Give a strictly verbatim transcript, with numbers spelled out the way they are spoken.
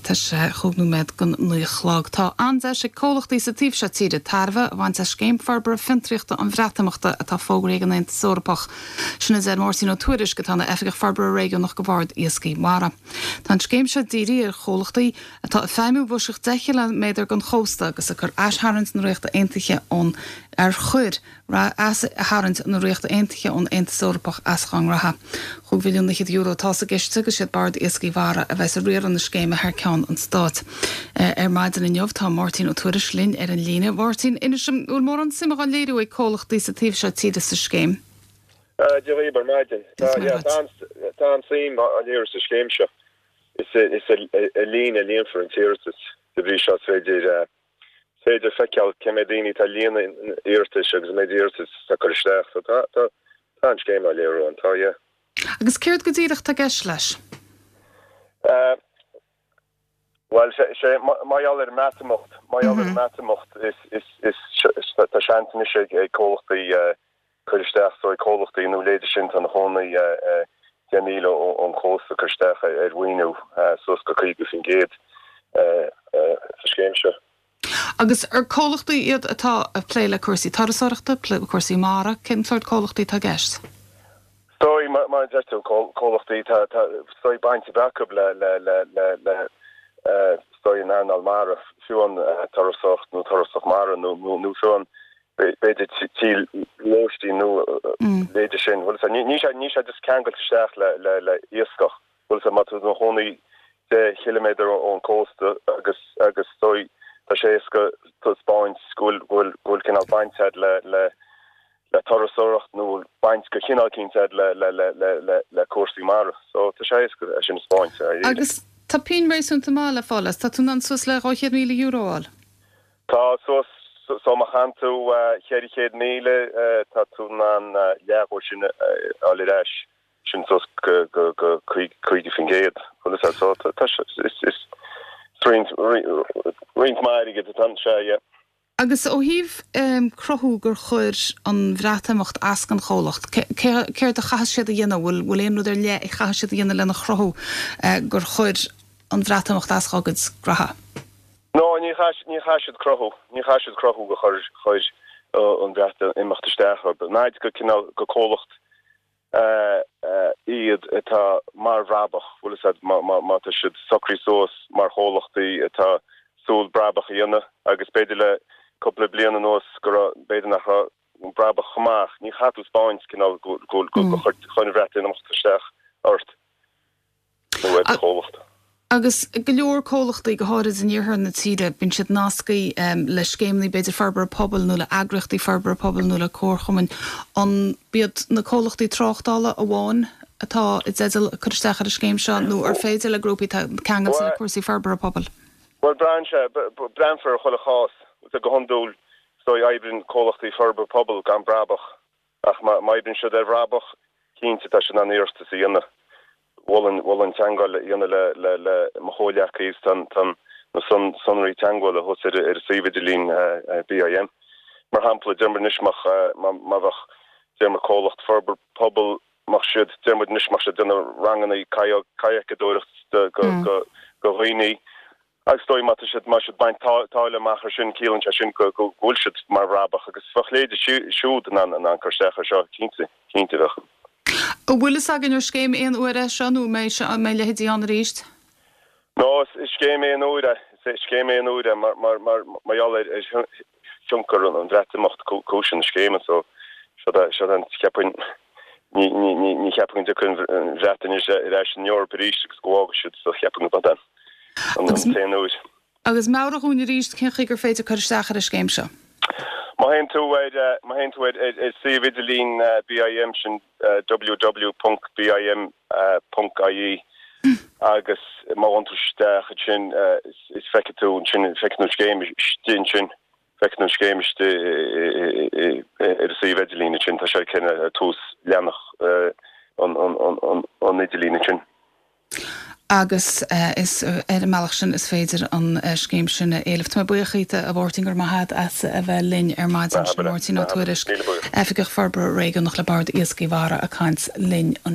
Tá sé chúig nóiméad don naoi a chlog. Tá an-deis ag comhlachtaí sa taobh seo tíre tairbhe a bhaint as scéim forbartha fiontraíochta an Bhreatimeachta atá fógraithe ag an Aontas Eorpach. Sin a deir Máirtín Ó Tuairisg atá ina Oifigeach Forbartha Réigiúnach do Bhord Iascaigh Mhara. Tá an scéim seo dírithe ar chomhlachtaí atá ag feidhmiú i bhfoisceacht deich gciliméadar den chósta agus a chuir aistharraingt na Ríochta Aontaithe ón ar chuir aistharraingt na Ríochta Aontaithe ón Aontas Eorpach as dá ngnóthaí. Chúig mhilliún fichead euro atá sa gciste agus siad Bord Iascaigh Mhara a bheas ag riaradh na scéime thar ceann an stáit. Ar maidin inniu tá Máirtín Ó Tuairisg linn ar an líne. Mháirtín inis dom bhfuil mórán suime á léiriú ag comhlachtaí sa taobh seo tíre sa scéim. Dia dhaoibh ar maidin. Tá an-suim á léiriú sa scéim seo. Is is ar líne a líonfar an t-iarratas de bhrí seo is féidir féidir feiceáil cé mhéad daoine atá ag líonadh iarratais agus méid iarratas atá curtha isteach. So tá tá tá an scéim á léiriú an tá yeah. Agus céard go díreach atá i gceist leis? Uh, Well sé sé mar gheall ar an mBreatimeacht mar gheall ar an mBreatimeacht is is is tá seans anois ag ag comhlachtaí uh, cur isteach so ag comhlachtaí nó leide sin tá na chónaí uh, deich míle ón chósta cur isteach ar mhaoiniú suas go caoga faoin gcéad sa scéim seo. Agus ar comhlachtaí iad atá ag plé le cúrsaí turasóireachta, plé le cúrsaí mara, cén sórt comhlachtaí atá i gceist? Stoi mar deir tú comhlachtaí stoi baint acu le le le le le stoi an earnáil mara fiú an turasóireacht nó turasóireacht mara nó nó fiú an b'fhéidir tí lóistín nó leide sin bhfuil ní ní sé ní sé just ceangailte isteach le le le iascach bhfuil sé má tá tú i do chónaí deich chiliméadar ón cósta agus agus stoi tá sé éasca taispeáint go bhfuil go bhfuil go bhfuil cineál baint agat le le le turasóireacht nó baint go cineál cinnte agat le le le le le le cúrsaí mara so tá sé éasca é sin a thaispeáint. Agus tá pingin réasúnta maith le fáil as, tá tú in ann suas le dhá chéad míle euro a fháil. Tá suas so má fhaigheann tú ceithre chéad míle tá tú in ann leath dhó sin a fháil ar ais sin suas go go go caoga faoin gcéad bhfuil so tá is is roinnt roinnt maith airgid atá sé yeah. Agus ó thaobh um, cruthú gur chuir an Bhreatimeacht as don chomhlacht, céard a chaithfidh siad a dhéanamh bhfuil bhfuil aon rud ar leith a chaithfidh siad a dhéanamh lena chruthú uh, gur chuir an Bhreatimeacht as dá gcuid gnóthaí. No ní ní chaithfidh siad cruthú, ní chaithfidh siad cruthú go chuir chuir an Bhreatimeacht isteach náid go cineál go comhlacht iad atá mar bhrabach bhfuil má tá siad socraithe suas mar chomhlachtaí atá súil brabach a dhéanamh agus b'fhéidir le cúpla bliain anuas go b'fhéidir nach brabach amach ní chaithfidh tú taispeáint cineál go chuir an Bhreatimeacht isteach ort nó ar chomhlacht. Agus go leor comhlachtaí go háirid in iarthar na tíre bíonn siad nasctha um, le scéimeanna b'fhéidir forbartha pobail nó le heagraíochtaí forbartha pobail nó le comharchumainn an iad na comhlachtaí tráchtála amháin atá i dteideal cur isteach ar an scéim seo nó ar féidir le grúpaí ceangailte le cúrsaí forbartha pobail. Well braitheann sé breathnófar chuile chás go hiondúil so oibríonn comhlachtaí forbartha pobail gan brabach ach má oibríonn siad ar bhrabach cinnte tá siad in ann iarratas a dhéanamh. Bhfuil bhfuil an teagmháil a dhéanamh le le le mo chomhghleacaí tan tan na son sonraí teagmhála thuas ar ar suíomh idirlín BIM. Mar shampla deir muid anois má bheadh deir muid comhlacht forbartha pobail má siad deir muid anois má siad déanamh ranganna kayak-adóireacht go go go dhaoine agus dóigh má siad má siad baint táille amach ar sin ciallaíonn sé sin go go bhfuil siad mar bhrabach agus bheadh leithéidí siúd in ann an cur isteach ar seo cinnte cinnte bheadh. An bhfuil fhios againn ar scéim aon uair é seo nó mbeidh mbeidh leithéidí ann arís? No is scéim aon uair é scéim aon uair é mar mar mar mar gheall ar thionchar an Bhreatimeacht cúis na scéime so seo an cheapainn ní ní ní ní cheapainn go dtiocfaidh an Bhreatain ar ais san Eoraip arís agus go bhfágfaidh siad so cheapainn go an an t-aon uair. Agus meabhraigh dúinn arís cén chaoi gur féidir cur isteach ar an scéim seo. Má théann tú ar má théann tú ar ar suíomh idirlín BIM sin www.bim.ie agus má théann tú isteach sin is feicfidh tú sin feicfidh tú scéim sin sin feicfidh tú scéim ar suíomh idirlín sin tá sé cin tús leathanach an an an idirlín sin. agus uh, is ar an mbealach sin is féidir an uh, scéim sin a éileamh. Tá mé buíoch díot a Mháirtín go raibh maith agat as a bheith linn ar maidin sin Máirtín Ó Tuairisg Oifigeach Forbartha Réigiúnach le Bord Iascaigh Mhara ag caint linn an